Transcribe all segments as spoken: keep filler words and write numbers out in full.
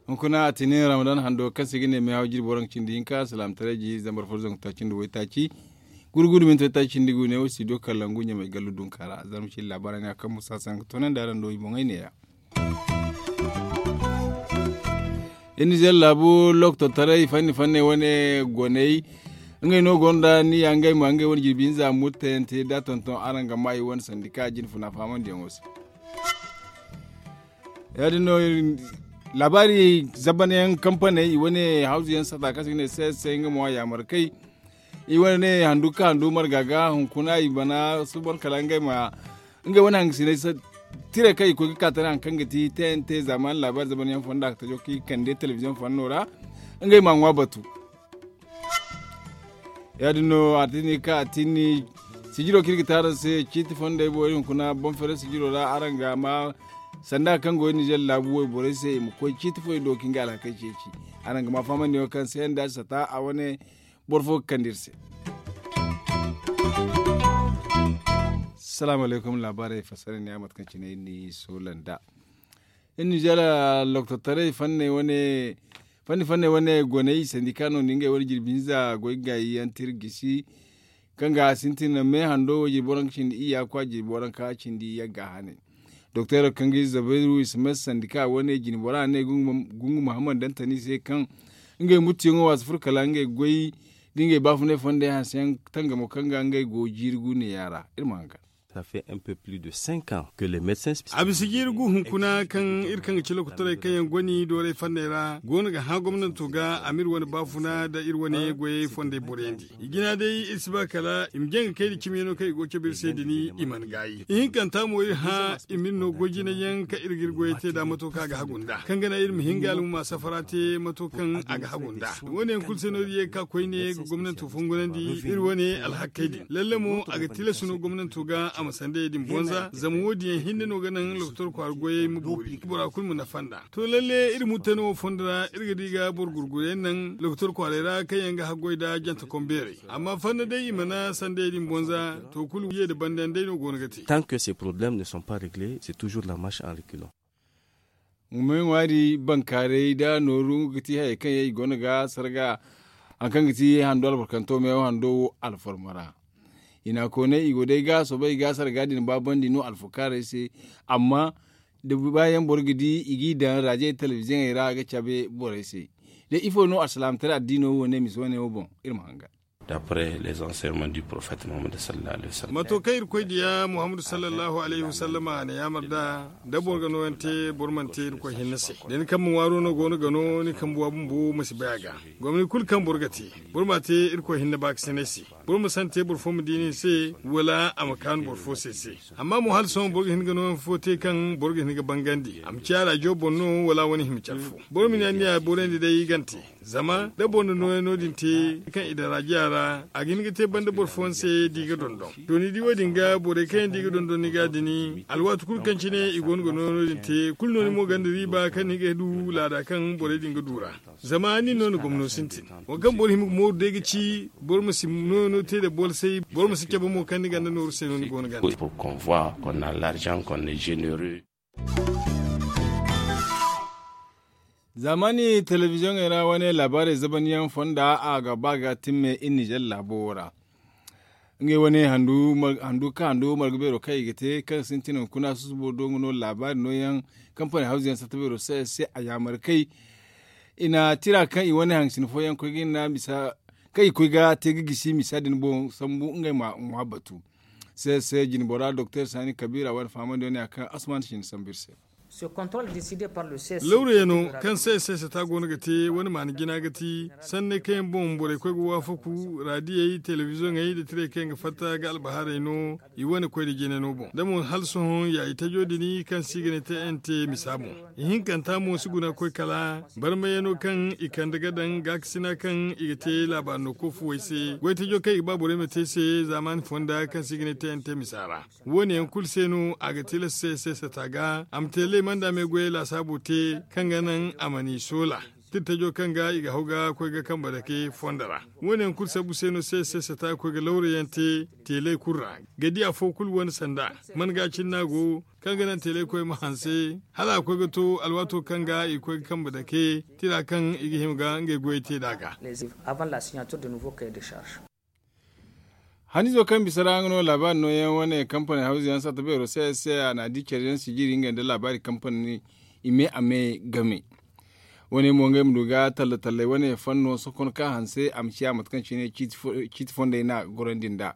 Hunkuna a tinin ramadan hando kaŋ se ga ne meehaw jirbi waranka cindi hinka salaamataray ji zambar fo zangu taaci nda waytaaci gurgudu minti waytaaci cindi gu ne wo studio kalangu ɲamay gallu dunka ra zarma cindi laabaara ne a kaŋ musa sanka toonandi araŋ do i boŋey neeya. Iri nizeer laabu lokototaray fanni fanney wane goney ngey no gonda ni ya ngey ma ngey wane jirbi hinza murtayante da tonton araŋ ga ma i wane sandika jine funa fahamandiyaŋo se. Ya- din no laabaari zabanyaŋ kampaney i wane hawzu yaŋ sata kaŋ se ga ne se se nga mo a yaamar kay i wane ne handu ka handu marga ga hunkuna i bana suban kala ngey ma ngey wane hangasinay tiray kaŋ i koy ga ka tara hari kaŋ ga ti tnt zamaani laabaari zabanyaŋ fonda ga tajo kaŋ i kande telebiziyoŋ fanno ra ngey ma ŋwa batu. Ya- din no a tini ka a tini sijiro kaŋ iri ga te araŋ se ciiti fondey boori hunkuna boŋ fere sijiro ra araŋ ga ma sanda kaŋ go nizer laabu wayborey se i ma koy ciiti fo i do kaŋ ga alhakey ceeci. Araŋ ga ma fahamandi wo kaŋ se nda sata a wane boro fo ga kande iri se. Salaamu alaykum laabaarey fassara ne a mate kaŋ cine iri ni soola nda iri nizer lokototaray fanney wane fanni fanney wane goney sandika no nda ngey wane jirbi hinza goy gaayi yaŋ te iri gisi kaŋ ga a sintin me hando wo jirbi waranka cindi iyya kwa jirbi waranka cindi yagga hane. Doktor kaŋ ga i zabairu ismes sandika wane jine bora ne gungu muhammad dantani se kaŋ ngey muttuyaŋo waasi furo kala ngey goy da ngey baafunay fondey hanseyaŋ tangamo kaŋ ga ngey go jiiri gu neeya ra iri ma hangan. Ça fait un peu plus de cinq ans que les médecins spécialisés. A bisa jiiri gu hunkuna kaŋ iri kaŋ ga ci lokotorey kaŋ yaŋ goni dooray fanney ra go no ga hã gomnanto ga a ma iri wane baafuna nda iri wane goyey fondey boroyandi. I jina day iri si ba kala i ma jaŋ ga kay nda cimiyaŋo kaŋ i go ga cabe iri se din i mana gaayi ihinkanta mo iri hã i ma iri no goy jinay yaŋ kaŋ iri ga iri goyey te nd'a mato kaŋ a ga hagu nd'a kaŋ ga naŋ iri ma hin ga almuma safara te mato kaŋ a ga hagu nd'a. Wo- ne yaŋ kulu se no iri ye ga ka koyne ga gomnanto fongonandi iri wane alhakkey din lalle mo a ga tilas no gomnanto ga a ma sandayey din bonza zama wo- din yaŋ hinne no ga naŋ lokotor kwaara goyey ma boori bora kulu ma nafa nd'a. To lalle iri murtayno wo fondo ra iri ga di ga boro gurguru yaŋ naŋ lokotor kwaaray ra kaŋ yaŋ ga haggoy nda jante kombeerey amma fanda day i mana sandayey din bonza to kulu ye nda banda yaŋ day no go no ga te. Tant que ces problèmes ne sont pas réglés c'est toujours la marche en reculant. Meewa di bankaaray nda nooru ga ti hayey kaŋ yaŋ i go no ga sarga hari kaŋ ga ti hando albarkanto meewa hando wo alfarma ra. I na a koonay i go day ga soobay i ga sarga din baabandi no alfukaaray se. Amma da ba yaŋ boro ga di i g'i daŋ raajey telebiziyoŋey ra ga cabe borey se. Da ifo no alsilaamataray addiino wo ne mise wane wo boŋ iri ma hangan. D'après les enseignements du prophète muhammad sallallahu alaihi wasallam. Mato kaŋ irkoy diya muhammadu sallallahu alaihi wasallama a na yaamar nd'a da boro ga nooyaŋ te boro mana te irkoy hinne se. Da ni kambe ŋwaaro no go no ga no ni kambe wa bumbo ma si bay a ga. Gomni kulu kaŋ boro ga te boro m'a te irkoy hinne baakasinay se. Boro ma sante boro fo ma di nin se wala a ma kaanu boro fo se se. Amma mo hala sohõ boro ga hin ga nooyaŋ fo te kaŋ boro ga hin ga bangandi a ma ciya raajo boŋ no wala a wane hima care fo. Boro ma ne anniya borandi day i gante. Zama da boro na nooyaŋ no- din te kaŋ i daŋ raajiya ra a ga hin ga te banda boro fooyaŋ se da i ga dondon. To ni di wo- din ga borey kaŋ yaŋ da i ga dondon ni ga din alwaati kulu kaŋ cine i go no ga nooyaŋ no- din te kulu no ni mo gonda riiba kaŋ ni ga du laada kaŋ borey din ga du ra. Zama nin no na gomno sintin. Waŋ kaŋ boro hima ga mooru day ga ci boro ma si nooyaŋo te nda boolsay boro ma si cabe mo kaŋ ni gonda nooru se no ni go no ga te. Pour qu'on voit qu'on a l'argent qu'on est généreux. Zaamaani telebiziyoŋey ra wane laabaarey zabanyaŋ fonda a ga ba ga timme iri nizer laabo wo ra. Ngey wane handu kaŋ handu marga beero kaŋ i ga te kaŋ sintin hunkuna susubo do nga no laabaari nooyaŋ kampani hawzu yaŋ satta beero se se a yaamar kay. I na tira kaŋ i wane haŋ sina fooyaŋ koy ga hinna misa kaŋ i koy ga te ga gisi misa din boŋ sambu ngey ma ŋwa batu. Se se jinbora doktor sani kabiira wane fahamandi wane a kaŋ asman sina sambu iri se. Lawrayano kaŋ se se se ta go no ga te wane maana jina ga ti sanney kaŋ yaŋ boŋ borey koy ga waafaku raadiyey telebiziyoŋey nda tirey kaŋ yaŋ ga fatta ga albahaarey no. I wane koy nda jina no boŋ da mo hala sohõ ya i tajo din kaŋ se i ga ne te nt misa boŋ. Ihinkanta mo si guna ga koy kala barmayano kaŋ i kande ga daŋ gaakasina kaŋ i ga te laabaari no koofuwey se goytajo kaŋ i ga ba borey ma te se zaamaani fonda kaŋ se i ga ne te nt misa ra. Wo- ne yaŋ kulu se no a ga tilas se se sata ga a ma te lay manda me goyey laasaabo te kaŋ ga naŋ a ma ni soola. tirtajo kaŋ ga i ga haw ga koy ga kambe dake fondo ra. Wo- ne yaŋ kulu sabbu se no se se sata ga koy ga lawra yaŋ te teeley kulu ra ga di afo kulu wane sanda man ga cine no a go kaŋ ga naŋ teeley koy ma hanse hala a koy ga to alwaato kaŋ ga i ga koy ga kambe dake tira kaŋ i ga hima ga ngey goyey te nd'a ga. Hanizo kaŋ bisa ra nga no laabaari nooyaŋ wane kampaney hawzu yaŋ satta beero se se a na a di care yaŋ sijiri ngey nda laabaari kampaney i me a me game. Wane mo ngey ma du ga talla talley wane fanno sokon ka hanse a ma ciya mate kaŋ cine ciiti fondey na gorandi nd'a.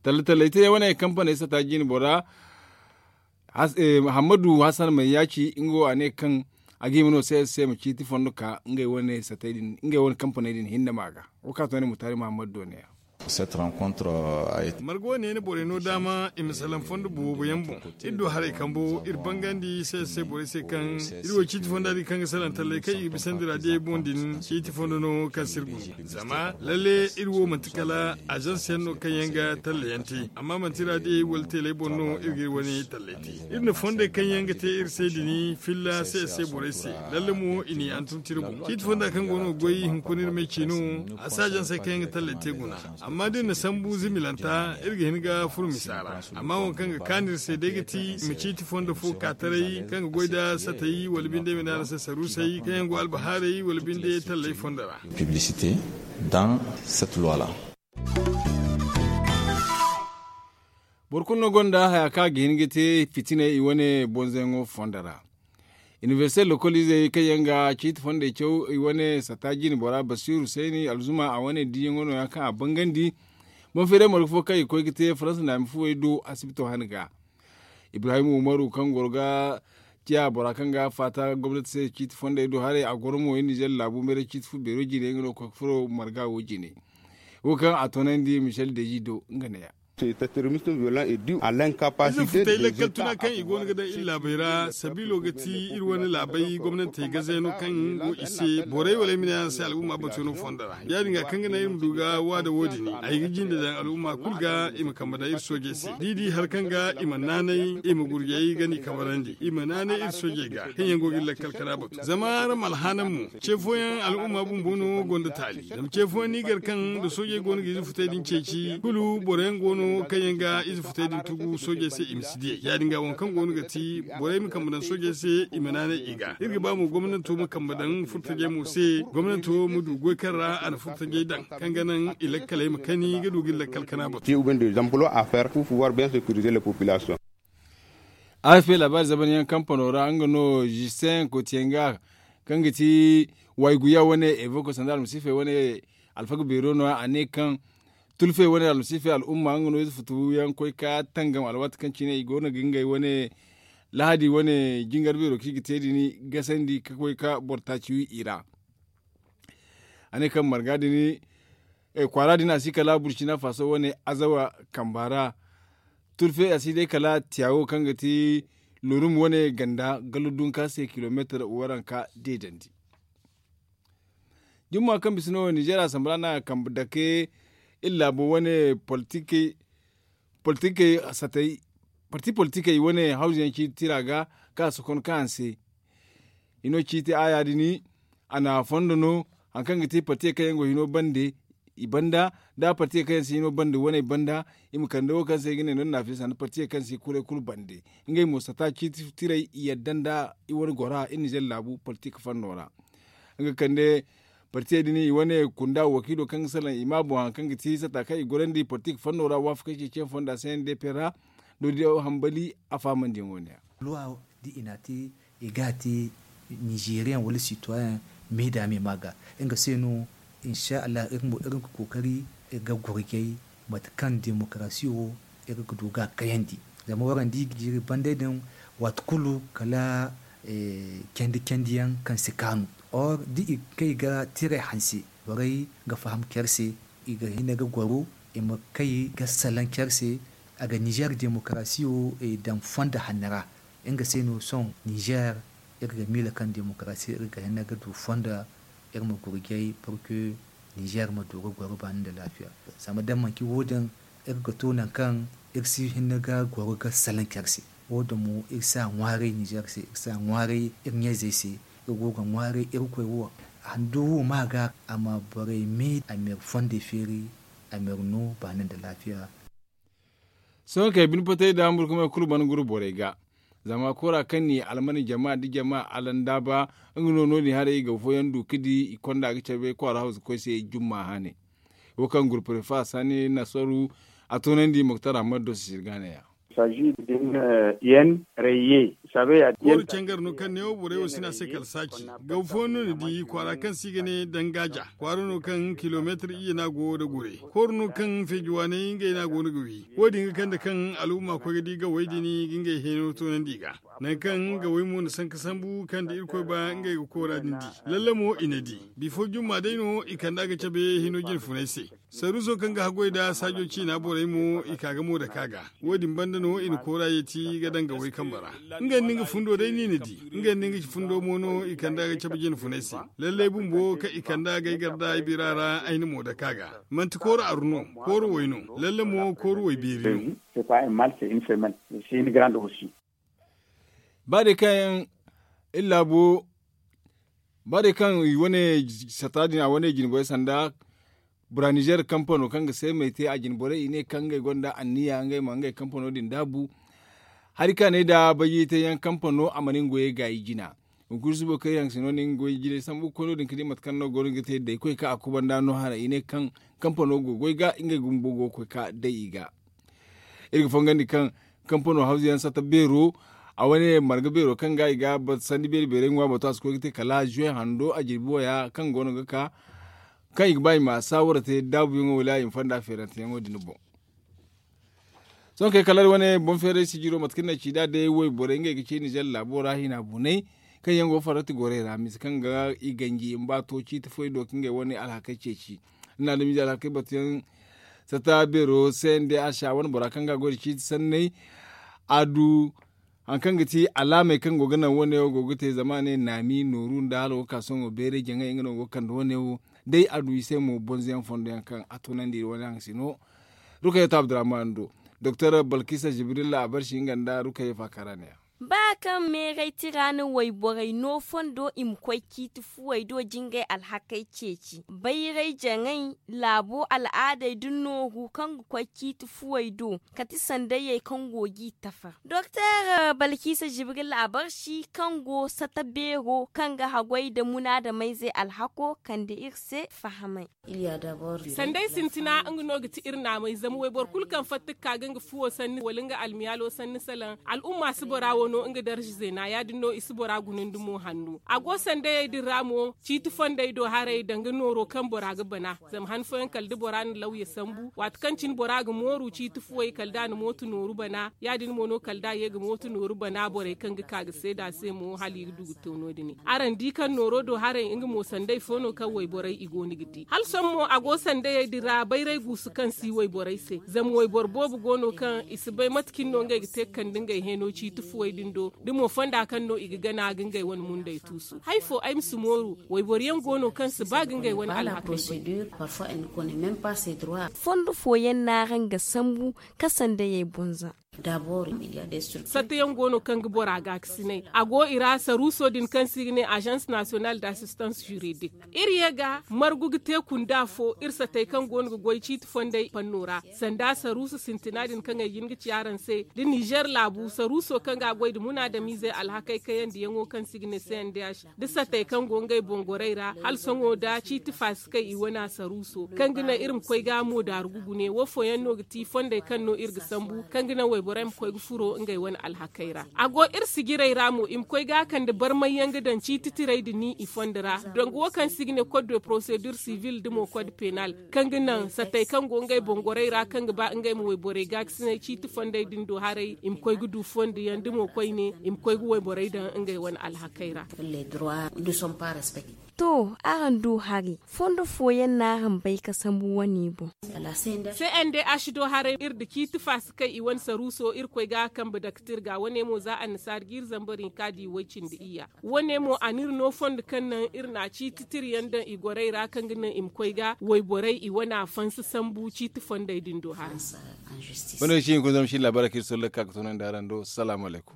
Talla talley te wane kampaney satta jiine bora hammadu hasan mayyaci nga wo a ne kaŋ a ga hima no se se ma ciiti fondo ka ngey wane satey din ngey wane kampaney din hinne ma ga. Wo ka to ne mutaari mahammadu do ne ya. Marga wo ne na borey no daama i ma salaŋ fondo boobo yaŋ boŋ. Iri du haray kambo iri bangandi se se borey se kaŋ iri wo ciiti fonda din kaŋ ga salaŋ talley kaŋ i ga bisandi raadiyey boŋ din ciiti fondo no kaŋ si iri guna. Zama lalle iri wo manti kala azanse yaŋ no kaŋ yaŋ ga talla yaŋ te amma manti raadiyey wala teeley boŋ no iri ga iri wane talley te. Iri na fondey kaŋ yaŋ ga te iri se din filla se se borey se. Lalle mo i n'i hantum tira boŋ ciiti fonda kaŋ go no ga goy hunkuna iri me ci no. A si azansey kaŋ yaŋ ga talley te guna. Amma da iri na sambu zimilanta iri ga hin ga furo misa ra. Amma waŋ kaŋ ga kaanu iri se day ga ti i ma ciiti fondo fo ka taray kaŋ ga goy nda satay wala binde i ma ne araŋ se saruusey kaŋ yaŋ go albahaarey wala binde talley fondo ra. Boro kulu no gonda haya kaŋ a ga hin ga te fitinay i wane bonzoyaŋo fondo ra. Inibersite lokoliizey kaŋ yaŋ ga ciiti fondey caw i wane satta jiine bora basiiru sayni alzuma a wane diiyaŋo no- ya kaŋ a bangandi. Boŋ feeray marga fo kaŋ i ga koy ga te faransa naami fuwey do asibito hane ga. Ibrahim umaru kaŋ goro ga ciya bora kaŋ ga faata gomnati se ciiti fondey do haray a goro mo iri nizer laabu meeray ciiti fu beero jine nga no ga koy ga furo marga wo jine. Wo kaŋ a toonandi michel deji do nga ne- ya. Ize futay lakkal tuna kaŋ i go no ga daŋ iri laabey ra sabiilo ga ti iri wane laabey gomnantey gazeeno kaŋ go i se borey wala ay ma ne araŋ se al'umma batuyaŋo fondo ra. Ya- din ga kaŋ ga naŋ iri ma du ga waada wo- din ay ga jinde daŋ al'umma kulu ga i ma kambe daŋ iri soojey se da i di hari kaŋ ga i ma naanay i ma gurjey gana i kabarandi i ma naanay iri soojey ga kaŋ yaŋ go ga iri lakkal kana batu zama araŋ ma alhaanaŋ mo. Ce fooyaŋ al'umma bumbo no gonda taali zama ce fooyaŋ no i gar kaŋ nda soojey go no ga ize futay din ceeci kulu boro yaŋ go no kaŋ yaŋ ga ize futay din tugu soojey se i ma si diyey ya- din ga waŋ kaŋ go no ga ti borey ma kambe daŋ soojey se i ma naanay i ga iri ga ba mo gomnanto ma kambe daŋ furtajey mo se gomnanto ma du goy kaŋ ra a na furtajey daŋ kaŋ ga naŋ i lakkaley ma kani ga du ga iri lakkal kana batu. Afp laabaari zamanyaŋ kampano ra nga no justin kotiyenga kaŋ ga ti wayguya wane evoko sanda almasiifey wane alfaga beero no a ne kaŋ tulfey wane almasiifey al'umma nga no ize futu yaŋ koy ka tangam alwaati kaŋ cine i go no ga ngey wane lahadi wane jingar beero kaŋ i ga te din gasandi ka koy ka boro taaci wi i ra. A ne kaŋ marga din kwaara din a si kala burcina faso wane azawa kamba ra. Tulfe a si day kala tiyawo kaŋ ga ti lorum wane ganda gallo dunka se kilomeetar waranka deedandi. Jumma kaŋ bisa no ninzeer asambala no a ga kambe dake iri laabo wane politikey politikey satay parti politikey wane hawzu yaŋ ciiti tira ga kaŋ a sokon kaŋ a se. Hino ciiti a ya- din a na fondo no hari kaŋ ga te partiye kaŋ yaŋ go hino bande i banda da partiye kaŋ yaŋ si hino bande waney banda. I ma kande wo kaŋ se i ga ne no ni na a fesa nda partiye kaŋ si kuray kulu bande ngey mo sata ciiti tirey i yadda nda i wane gora iri nizer laabu politik fanno ra. Nga kande partiye din i wane kunda wakiilo kaŋ ga salaŋ i ma boŋ hari kaŋ ga ti sata kaŋ i gorandi politik fanno ra waafakey ceeciyaŋ fonda se n d p ra. Doodiyo hambali a faamandiyaŋo ne ya. Luwa da i n'a te i ga a te ninzeeriyaŋ wala sitoyen me da me ma ga nga se no. Insa allah iri mo iri ga kookari iri ga gurjay mate kaŋ demokarasi wo iri ga du ga a kayandi. Zama waraŋ da i ga jiiri banday din waati kulu kala candi candiyaŋ kaŋ si kaanu. Or da i kay ga tiray hanse borey ga faham care se i ga hin ga goro i ma kay ga salaŋ care se. A ga nizer demokarasi wo daŋ fondo hanno ra. Nga se no sohõ nizer iri ga miila kaŋ demokarasi iri ga hin ga du fondo iri ma gurjay pour que nizer ma du ga goro baani nda laafiya. Zama da manti wo- din iri ga to nangu kaŋ iri si hin ga goro ga salaŋ care se. Wo- din mo iri si a ŋwaaray nizer se iri si a ŋwaaray iri ɲa-izey se. Iri go ga ŋwaaray irkoy wo Handu wo ma ga a ma borey me a ma yar fondey feeri a ma yar no baana nda laafiya. Sohõ kay bine potey da hamburkumey kulu mana guru borey ga. Zama koora kaŋ ni alman jama nda jama alandaaba nga no no- din haray i ga fooyaŋ du ga di i konda ga cabe kwaara hawza koy se jumma hane. Wo kaŋ gurpure faasa ne nasaru a toonandi moktar ahmad do sisir ga ne ya. Kooru cangar no kaŋ neewo borey wo si ne a se kala saaci. Gaw fooyaŋ no ni di kwaara kaŋ se i ga ne dangaaja kwaara no kaŋ kilomeetir iyye no a go nda gure. Kooru no kaŋ feeji waaney ngey no a go no ga wi. Wo- din ga kande kaŋ al'umma koy ga di gawey din ga ngey heeno toonandi i ga. Nangu kaŋ gawey mo na sanka sambu kaŋ da irkoy ba ngey ga koora din di. Lalle mo i na di. Bifo jumma day no i kand'a ga cabe hino jine funay se. Saruuso kaŋ ga haggoy nda saajo ciina borey mo i ka ga mo dake a ga. Wo- din banda no i na koora yeeti ga daŋ gawey kambe ra. Nga nda nga fundo day no i na di. Nga nda nga fundo mo no i kand'a ga cabe jine funay se. Lallay bumbo kaŋ i kand'a ga ay gar nd'a ay bira ra ay na mo dake a ga. Manti kooru aru no. Kooru way no. Lalle mo kooru way beeri no. Ba day kaŋ iri laabo ba day kaŋ i wane sata din a wane jinboy sanda bura nizer kampano kaŋ ga seemey te a jinborey i ne kaŋ ngey gonda anniya ngey ma ngey kampano din daabu. Hari kaŋ a ne nda bayjey te yaŋ kampano a mana nga goyey gaayi jina. Hunkuna subo kaŋ iri haŋ si no ne nga goyey jinay sambu ga koy no- din ga di mate kaŋ no go no ga te day koy kaŋ a kubanda no hara i ne kaŋ kampano go ga goy ga ngey bumbo go ga koy ka day i ga. Iri ga fongandi kaŋ kampano hawzu yaŋ sata beero a wane marga beero kaŋ ga i ga sandi beeri beerey ŋwa bato a si koy ga te kala zuwe hando a jirbi waya kaŋ go no ga ka kaŋ i ga ba i ma saawara te daabuyaŋo wala i ma fonda feeranteyaŋo din boŋ. Sohõ kay kala wane boŋ feeray sijiro mate kaŋ ni a ci nd'a day wayborey ngey ga ci nizer laabo ra hina bunay kaŋ yaŋ go farrati gorey ra mise kaŋ ga i ganji i ma ba to ciiti foy do ka ngey wane alhakey ceeci. Ni na adamize alhakey batuyaŋ sata beero se nda a si a wane bora kaŋ ga a goy nda ciiti sanney a du hari kaŋ ga ti alaamey kaŋ go ga naŋ wane wo go ga te zama a ne naami nooru nda hala go ga ka sohõ beeray jaŋay nga no go ga kande wane wo. Day a du i se mo bonzoyaŋ fondo yaŋ kaŋ a tunandi wane haŋ si no. Rukayatu abdurrahman do doktor balkisa jibrilla a barsi nga nda rukayatu faakara ne ya. Ba kaŋ meeray tira na wayborey no fondo i ma koy ciiti fuwey do jingay alhakey ceeci bayray jaŋay laabo al'aadey da nooru kaŋ ga koy ciiti fuwey do kati sandayey kaŋ go g'i tafar doktor balkisa jibril a barsi kaŋ go sata beero kaŋ ga haggoy nda munaadamayzey alhako kande iri se fahamay. Sanday sintina nga no ga ti iri naamay zama wayboro kulu kaŋ fatta ga ka ga nga fuwo sanni wala nga almiyaalo sanni salaŋ al'umma si bora wo no nga darza zeena ya- din no i si bora gunandi mo hanno a go sandayey din ra mo ciiti fondey do haray danga nooro kaŋ bora ga bana. Zama han fooyaŋ kala da bora na lawya sambu waati kaŋ cine bora ga mooru ciiti fuwey kala da a na mooto nooru bana ya- din mo no kala da a ye ga mooto nooru bana borey kaŋ ga ka ga seeda se mo hala i ga du ga to no- din. Araŋ di kaŋ nooro do haray nga mo sanday fo no kaŋ wayborey i go no ga di hala sohõ mo a go sandayey din ra bayray guusu kaŋ si wayborey se zama wayboro boobo go no kaŋ i si bay mate cine no ngey ga te ga kande ngey heeno ciiti fuwey din do da mo fonda kaŋ no i ga gana ga ngey wane mundey tuusu hari fo ay ma si mooru wayboro yaŋ go no kaŋ si ba ga ngey wane alhakey bay. Fondo fooyaŋ no araŋ ga sambu ka sandayey boŋ za. Satta yaŋ go no kaŋ ga bora gaakasinay a go i ra saruuso din kaŋ se i ga ne agence national d'assistance juridique. Iri ye ga margu ga te kunda fo iri satey kaŋ go no ga goy ciiti fondey fanno ra sanda saruuso sintina din kaŋ ay jin ga ci araŋ se da nizer laabu saruuso kaŋ ga a goy nda munaadamiizey alhakey kayandiyaŋo kaŋ se i ga ne cndh da satey kaŋ go ngey boŋ gorey ra hala sohõ da ciiti faasikey i wane saruuso kaŋ ga naŋ iri ma koy ga mo daaru ga gune wo fooyaŋ no ga ti fondey kaŋ no iri ga sambu kaŋ ga naŋ wayborey ma koy ga furo ngey wane alhakey ra. A go iri sijirey ra mo i ma koy ga a kande barmay yaŋ ga daŋ ciiti tirey nda ni i fondo ra dongo wo kaŋ se i ga ne code de procédure civile nda mo code pénal kaŋ ga naŋ satey kaŋ go ngey boŋ gorey ra kaŋ ga ba ngey ma wayborey gaakasinay ciiti fondey din do haray i ma koy ga du fondo yaŋ nda mo koyne i ma koy ga wayborey daŋ ngey wane alhakey ra. To araŋ du hari fondo fooyaŋ no araŋ bay ka sambu wane boŋ. Cndh do haray iri nda ciiti faasi kaŋ i wane saruuso iri koy ga a kambe daktir ga wane mo za annasaari ga iri zambar hinka di way-cindi iyya. Wane mo a n'iri no fondo kaŋ naŋ iri na ciiti tira yaŋ daŋ i gorey ra kaŋ ga naŋ i ma koy ga wayborey i wane a fansa sambu ciiti fondey din do haray. Wane wo si hinka zama si laabaarey kaŋ iri solla ga ka ga toonandi araŋ do salaamu alaykum.